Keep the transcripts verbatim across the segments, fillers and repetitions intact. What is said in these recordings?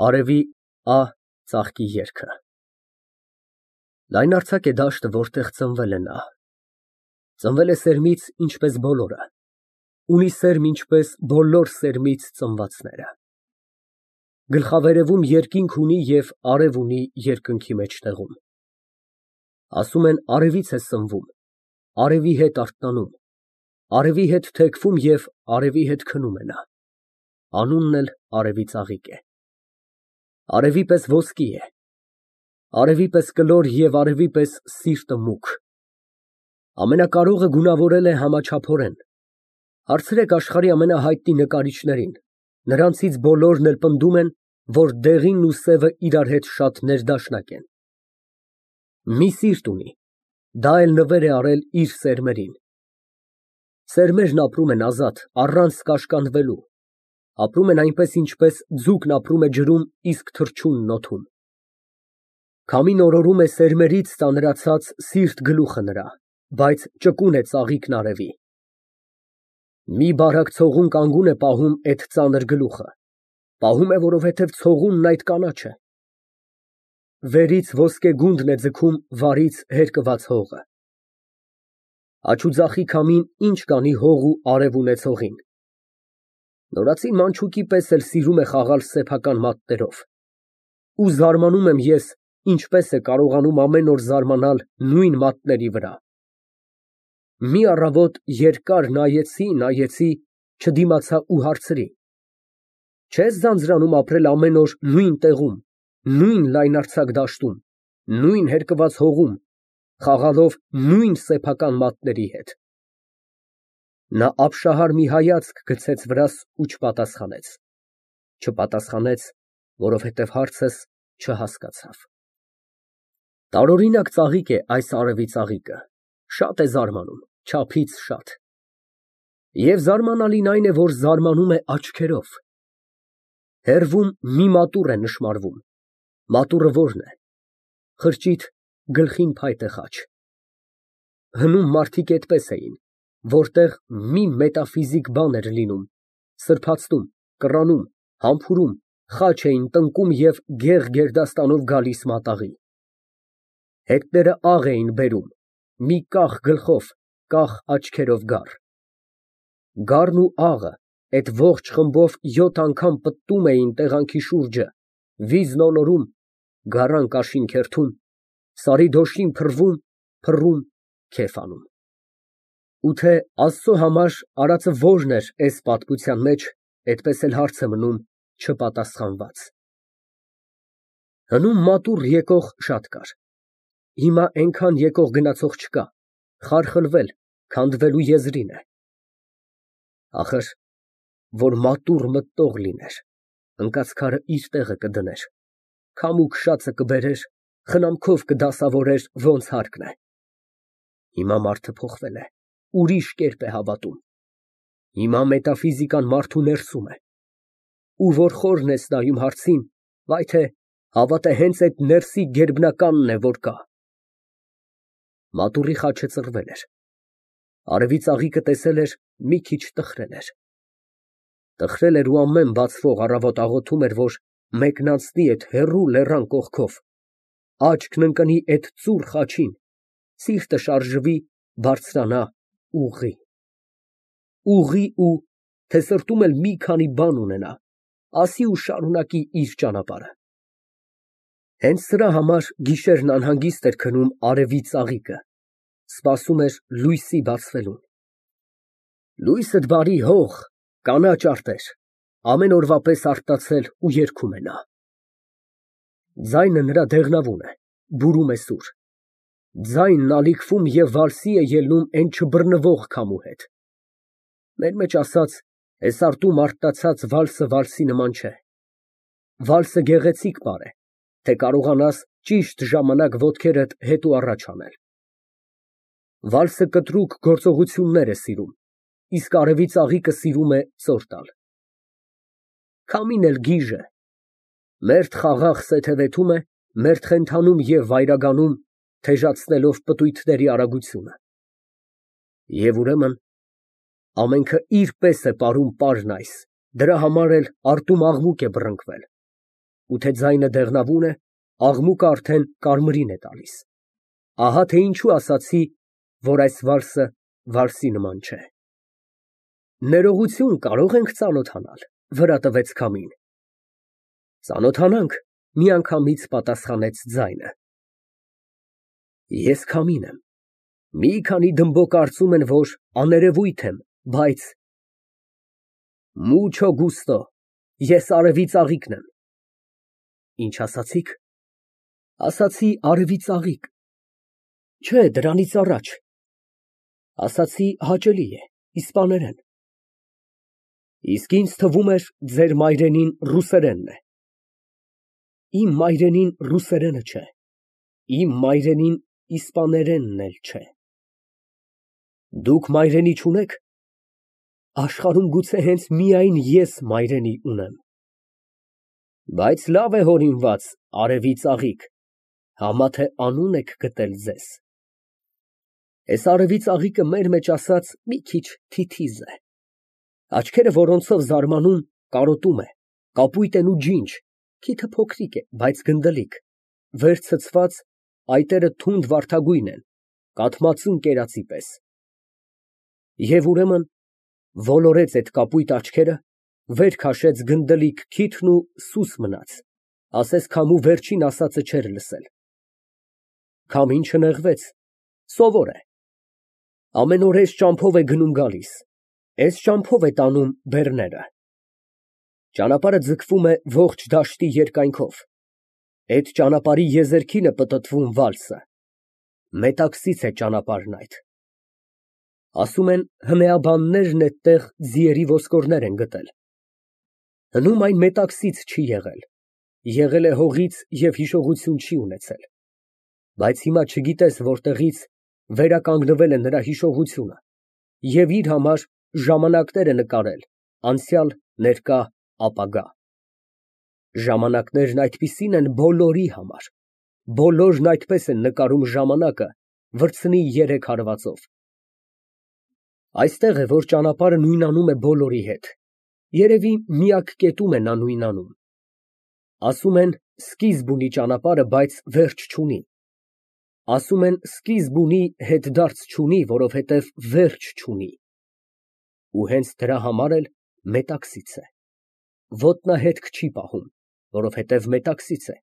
Արևի ա ծաղկի երգը։ Լայնարձակ է դաշտը, որտեղ ծնվել է նա, ծնվել է սերմից, ինչպես բոլորը, ունի սերմ, ինչպես բոլոր սերմից ծնվածները, գլխավերևում երկինք ունի և արև ունի երկնքի մեջտեղում, ասում են արևից է սնվում, արևի հետ արթնանում, արևի հետ թեքվում և արևի հետ քնում է նա, անունն էլ արևի ծաղիկ է, արևի պես ոսկի է, արևի պես կլոր և արևի պես սիրտը մուգ, ամենակարողը գունավորել է համաչափորեն, հարցրեք աշխարհի ամենահայտնի նկարիչներին, նրանցից բոլորն էլ պնդում են, որ դեղինն ու սևը իրար հետ շատ ներդաշնակ են, մի սիրտ ունի, դա էլ նվեր է արել իր սերմերին, սերմերն ապրում են ազատ, առանց կաշկանդվելու, ապրում են այնպես, ինչպես ձուկն ապրում է ջրում, իսկ թռչունն օդում, քամին օրորում է սերմերից ծանրացած սիրտ գլուխը նրա, բայց ճկուն է ծաղիկն արևի, մի բարակ ցողուն կանգուն է պահում էդ ծանր գլուխը, պահում է, որովհետև ցողունն այդ կանաչ է, վերից ոսկե գունդն է ձգում վարից հերկված հողը, աջ ու ձախի քամին ինչ կանի հող ու արև ունեցողին, նորածին մանչուկի պես էլ սիրում է խաղալ սեփական մատներով, ու զարմանում եմ ես, ինչպես է կարողանում ամեն օր զարմանալ նույն մատների վրա, մի առավոտ երկար նայեցի, նայեցի, չդիմացա ու հարցրի. չե՞ս ձանձրանում ապրել ամեն օր նույն տեղում, նույն լայնարձակ դաշտում, նույն հերկված հողում, խաղալով նույն սեփական մատների հետ, նա ապշահար մի հայացք գցեց վրաս ու չպատասխանեց, չպատասխանեց, որովհետև հարցս չհասկացավ, տարօրինակ ծաղիկ է այս արևի ծաղիկը, շատ է զարմանում, չափից շատ, և զարմանալին այն է, որ զարմանում է աչքերով, հեռվում մի մատուռ է նշմարվում, մատուռը ո՞րն է, խրճիթ, գլխին փայտե խաչ, հնում մարդիկ էդպես էին, որտեղ մի մետաֆիզիկ բան էր լինում, սրբացնում, կռանում, համբուրում, խաչ էին տնկում և գեղ֊գերդաստանով գալիս մատաղի, հետները աղ էին բերում, մի կախ գլխով, կախ աչքերով գառ, գառն ու աղը, էդ ողջ խմբով յոթ անգամ պտտում էին տեղանքի շուրջը, վիզն ոլորում, գարան կաշին քերթում, սարի դոշին փռվում, փռում, քեֆ անում, ու թե Աստծո համար արածը ո՞րն էր էս պատմության մեջ, էդպես էլ հարց է մնում չպատասխանված, հնում մատուռ եկող շատ կար, հիմա էնքան եկող գնացող չկա, խարխլվել, քանդվելու եզրին է, ախր, որ մատուռ մտող լիներ, ընկած քարը իր տեղը կդներ, քամուկ շացը կբերեր, խնամքով կդասավորեր, ոնց հարկն է, հիմա մարդը փոխվել է, ուրիշ կերպ է հավատում, հիմա մետաֆիզիկան մարդու ներսում է, ու որ խորն ես նայում հարցին, վայ թե հավատը հենց էդ ներսի գերբնականն է, որ կա, մատուռի խաչը ծռվել էր, արևի ծաղիկը տեսել էր, մի քիչ տխրել էր, տխրել էր ու ամեն բացվող առավոտ աղոթում էր, որ մեկն անցնի էդ հեռու լեռան կողքով, աչքն ընկնի էդ ծուռ խաչին, սիրտը շարժվի, բարձրանա, ուղղի, ուղղի ու, թե սրտում էլ մի քանի բան ունենա, ասի ու շարունակի իր ճանապարհը, հենց սրա համար գիշերն անհանգիստ էր քնում արևի ծաղիկը, սպասում էր լույսի բացվելուն, լույսդ բարի հող, կանաչ արտեր, ամեն օրվա պես արթնացել ու երգում է նա, ձայնը նրա դեղնավուն է, բուրում է սուր, ձայնն ալիքվում և վալսի է ելնում էն չբռնվող քամու հետ, մեր մեջ ասած, էս արտում արթնացած վալսը վալսի նման չէ, վալսը գեղեցիկ բառ է, թե կարողանաս ճիշտ ժամանակ ոտքերդ հետ ու առաջ անել, վալսը կտրուկ գործողություններ է սիրում, իսկ արևի ծաղիկը սիրում է ծոր տալ, քամին էլ գիժ է, մերթ խաղաղ սեթևեթում է, մերթ խենթանում և վայրագանում, թեժացնելով պտույտների արագությունը, և ուրեմն, ամենքը իր պես է պարում պարն այս, դրա համար էլ արտում աղմուկ է բռնկվել, ու թե ձայնը դեղնավուն է, աղմուկը արդեն կարմիրին է տալիս, ահա թե ինչու ասացի, որ այս վալսը վալսի նման չէ։ Ներողություն, կարո՞ղ ենք ծանոթանալ, վրա տվեց քամին։ Ծանոթանանք, միանգամից պատասխանեց ձայնը։ Ես քամին եմ, մի քանի դմբո կարծում են, որ աներևույթ եմ, բայց… Մուչո գուստո, ես արևի ծաղիկն եմ։ Ինչ ասացիք։ Ասացի արևի ծաղիկ։ Չէ, դրանից առաջ։ Ասացի հաճելի է, իսպաներեն։ Իսկ ինձ թվում էր ձեր մայրենին ռուսերենն է։ Իմ մայրենին ռուսերենը չէ, իմ մայրենին իսպաներենն էլ չէ։ Դուք մայրենի չունե՞ք։ Աշխարհում գուցե հենց միայն ես մայրենի ունեմ։ Բայց լավ է հորինված, արևի ծաղիկ, համա թե անուն եք գտել ձեզ։ Էս արևի ծաղիկը մեր մեջ ասած մի քիչ թիթիզ է։ Աչքերը որոնցով զարմանում, կարոտում է, կապույտ են ու ջինջ, քիթը փոքրիկ է, բայց գնդլիկ, վեր ցցված, այտերը թունդ վարդագույն են, կաթմածուն կերածի պես։ Եվ ուրեմն ոլորեց այդ կապույտ աչքերը, վեր քաշեց գնդլիկ քիթն ու սուս մնաց, ասես քամու վերջին ասածը չէր լսել։ Քամին չնեղվեց, սովոր է։ Ամեն օր էս ճամփով է գնում գալիս, էս ճամփով է տանում բեռները։ Ճանապարհը ձգվում է ողջ դաշտի երկայնքով, այդ ճանապարհի եզերքին է պտտվում վալսը, մետաքսից է ճանապարհն այդ։ Ասում են հնեաբաններն էդտեղ ձիերի ոսկորներ են գտել։ Հնում այն մետաքսից չի եղել, եղել է հողից և հիշողություն չի ունեցել, բայց հիմա չգիտես որտեղից վերականգնվել է նրա հիշողությունը և իր համար ժամանակներ է նկարել, անցյալ, ներկա, ապագա։ Ժամանակներն այդպիսին են բոլորի համար, բոլորն այդպես են նկարում ժամանակը վրձնի երեք հարվածով։ Այստեղ է, որ ճանապարհը նույնանում է բոլորի հետ, երևի միակ կետում է նա նույնանում։ Ասում են սկիզբ ունի ճանապարհը, բայց վերջ չունի։ Ասում են սկիզբ ունի, հետդարձ չունի, որովհետև վերջ չունի։ Ու հենց դրա համար էլ մետաքսից է։ Ոտնահետք չի պահում, որովհետև մետաքսից է,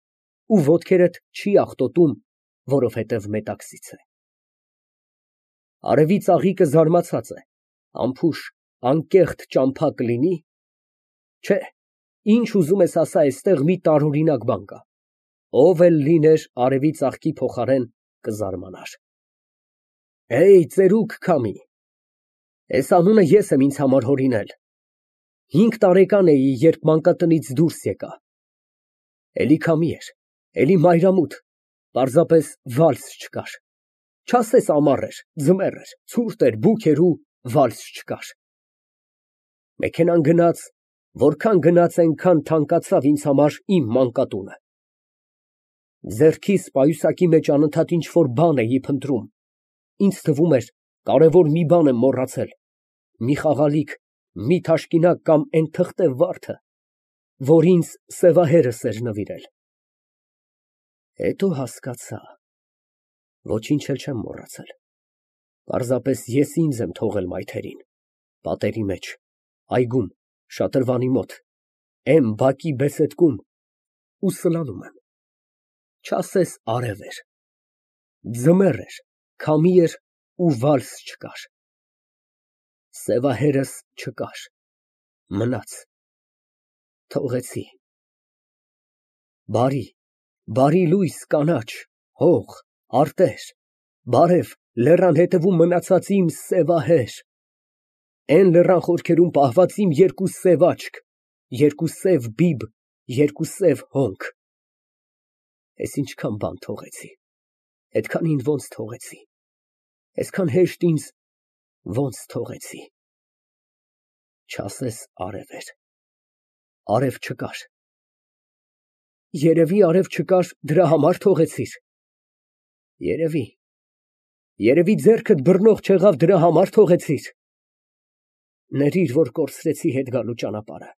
ու ոտքերդ չի աղտոտում, որովհետև մետաքսից է։ Արևի ծաղիկը զարմացած է, անփուշ, անկեղծ ճամփա կլինի։ Չէ, ինչ ուզում ես ասա, այստեղ մի տարօրինակ բան կա։ Ով էլ լիներ արևի ծաղկի փոխարեն, կզարմանար։ Էյ, ծերուկ քամի, էս անունը ես եմ ինձ համար հորինել։ Հինգ տարեկան էի, երբ մանկատնից դուրս եկա։ Էլի քամի էր, էլի մայրամուտ, պարզապես վալս չկար։ Չասես ամառ էր, ձմեռ էր, ցուրտ էր, բուք էր ու վալս չկար։ Մեքենան գնաց, որքան գնաց, այնքան թանկացավ ինձ համար իմ մանկատունը։ Ձեռքիս պայուսակի մեջ անընդհատ ինչ֊որ բան էի փնտրում։ Ինձ թվում էր, կարևոր մի բան եմ մոռացել, մի խաղալիք, մի թաշկինակ կամ էն թղթե վարդը, որ ինձ սևահերս էր նվիրել։ Հետո հասկացա, ոչինչ էլ չեմ մոռացել, պարզապես ես ինձ եմ թողել մայթերին, պատերի մեջ, այգում, շատրվանի մոտ, էն բակի բեսեդկում ու սլանում եմ։ Չասես արև էր, ձմեռ էր, քամի էր ու վալս չկար։ Սևահերս չկար, մնաց, թողեցի։ Բարի, բարի լույս, կանաչ, հող, արտեր, բարև, լեռան հետևում մնացած իմ սևահեր, էն լեռան խորքերում պահված իմ երկու սև աչք, երկու սև բիբ, երկու սև հոնք։ Էս ինչքան բան թողեցի, էդքանին ոնց թողեցի, այսքան հեշտ ինձ ոնց թողեցի։ Չասես արև էր, արև չկար։ Երևի արև չկար, դրա համար թողեցիր։ Երևի, երևի ձեռքդ բռնող չեղավ, դրա համար թողեցիր։ Ներիր, որ կորցրեցի հետ գալու ճանապարհը։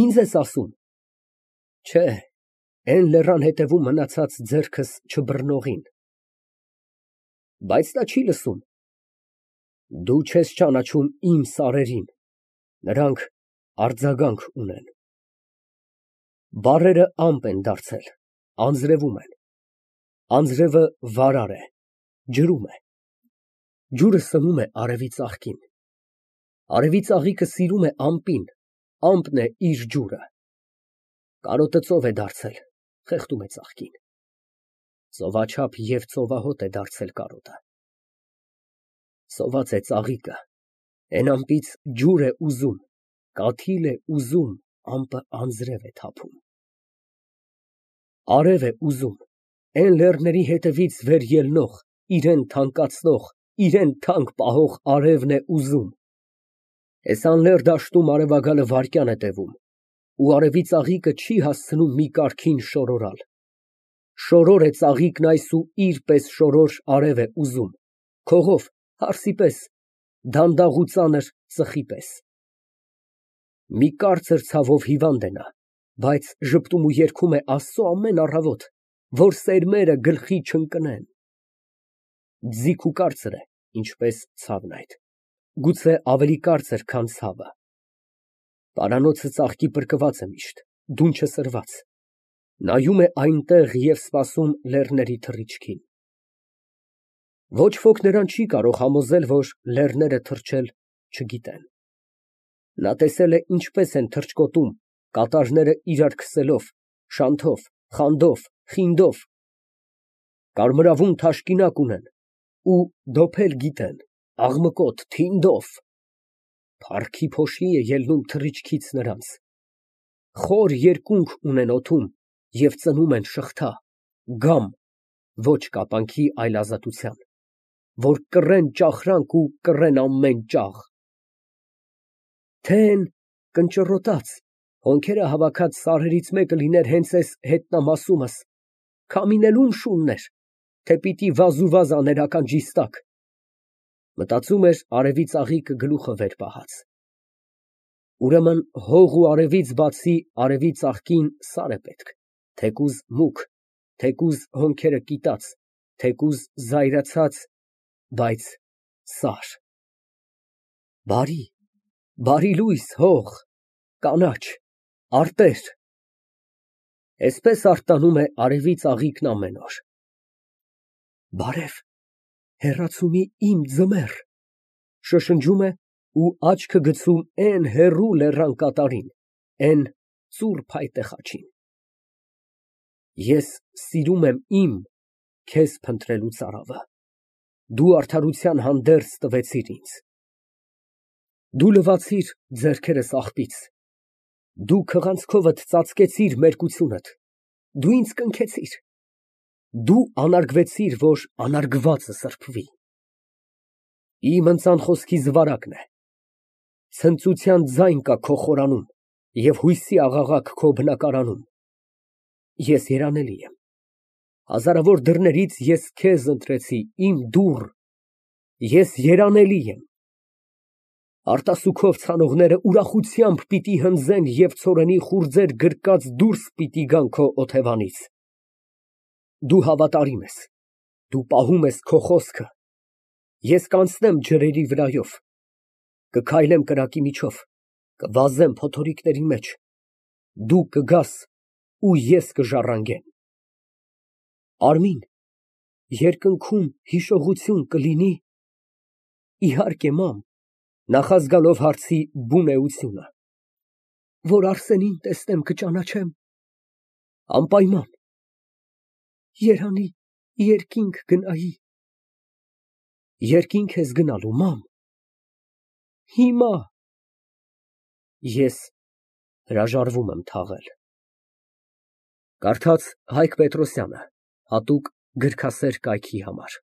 Ինձ ես ասում։ Չէ, էն լեռան հետևում մնացած ձեռքս չբռնողին։ Բայց նա չի լսում։ Դու չես ճանաչում իմ սարերին, նրանք արձագանք ունեն։ Բառերը ամպ են դարձել, անձրևում են, անձրևը վարար է, ջրում է, ջուրը սնում է արևի ծաղկին, արևի ծաղիկը սիրում է ամպին, ամպն է իր ջուրը, կարոտը ծով է դարձել, խեղդում է ծաղկին, ծովաչափ և ծովահոտ է դարձել կարոտը, սոված է ծաղիկը, էն ամպից ջուր է ուզում, կաթիլ է ուզում, ամպը անձրև է թափում։ Արև է ուզում, էն լեռների հետևից վեր ելնող, իրան թանկացնող, իրան թանկ պահող արևն է ուզում։ Էս անլեռ դաշտում արևագալը վայրկյան է տևում, ու արևի ծաղիկը չի հասցնում մի կարգին շորորալ։ Շորոր է ծաղիկն այս ու իր պես շորոր արև է ուզում, քողով, հարսի պես, դանդաղ ու ծանր ծխի պես։ Մի կարծր ցավով հիվանդ է նա, բայց ժպտում ու երգում է Աստծո ամեն առավոտ, որ սերմերը գլխի չընկնեն։ Ձիգ ու կարծր է, ինչպես ցավն այդ, գուցե ավելի կարծր, քան ցավը։ Պարանոցը ծաղկի պրկված է միշտ, դունչը սրված, նայում է այնտեղ և սպասում լեռների թռիչքին։ Ոչ ոք նրան չի կարող համոզել, որ լեռները թռչել չգիտեն։ Նա տեսել է ինչպես են թռչկոտում կատարները իրար քսելով, շանթով, խանդով, խինդով, կարմրավուն թաշկինակ ունեն ու դոփել գիտեն, աղմկոտ, թինդով, փառքի փոշի է ելնում թռիչքից նրանց, խոր երկունք ունեն օդում և ծնում են շղթա, գամ, ոչ կապանքի, այլ ազատության, որ կռեն ճախրանք ու կռեն ամեն ճաղ։ Թե են կնճռոտած, հոնքերը հավաքած սարերից մեկը լիներ հենց էս հետնամասումս, քամին էլ ում շունն էր, թե պիտի վազուվազ աներ ականջիս տակ, մտածում էր արևի ծաղիկը գլուխը վեր պահած։ Ուրեմն հող ու արևից բացի արևի ծաղկին սար է պետք, թեկուզ մուգ, թեկուզ հոնքերը կիտած, թեկուզ զայրացած, բայց սար։ Բարի, բարի լույս, հող, կանաչ, արտեր։ Էսպես արթնանում է արևի ծաղիկն ամեն օր։ Բարև, հեռացումի իմ ձմեռ, շշնջում է ու աչքը գցում էն հեռու լեռան կատարին, էն ծուռ փայտե խաչին։ Ես սիրում եմ իմ քեզ փնտրելու ծարավը, դու արդարության հանդերձ տվեցիր ինձ։ Դու լվացիր ձեռքերս աղբից, դու քղանցքովդ ծածկեցիր մերկությունդ, դու ինձ կնքեցիր, դու անարգվեցիր, որ անարգվածը սրբվի։ Իմ ընծան խոսքի զվարակն է, ցնծության ձայն կա քո խորանում և հույսի աղաղակ քո բնակարանում։ Ես երանելի եմ, հազարավոր դռներից ես քեզ ընտրեցի, իմ դուռ, ես երանելի եմ։ Արտասուքով ցանողները ուրախությամբ պիտի հնձեն և ցորենի խուრძեր գրկած դուրս պիտի գան քո օթևանից։ Դու հավատարիմ ես, դու պահում ես քո խոսքը, ես կանցնեմ ջրերի վրայով, կքայլեմ կրակի միջով, կվազեմ փոթորիկների մեջ, դու կգաս ու ես կժառանգեմ։ Արմին, երկնքում հիշողություն կլինի։ Իհարկե, մամ, նախազգալով հարցի բուն էությունը, որ Արսենին տեսնեմ կճանաչեմ։ Անպայման։ Երանի երկինք գնայի։ Երկինք ես գնալու, մամ։ Հիմա։ Ես հրաժարվում եմ թաղել։ Կարդաց Հայկ Պետրոսյանը, հատուկ գրքասեր կայքի համար։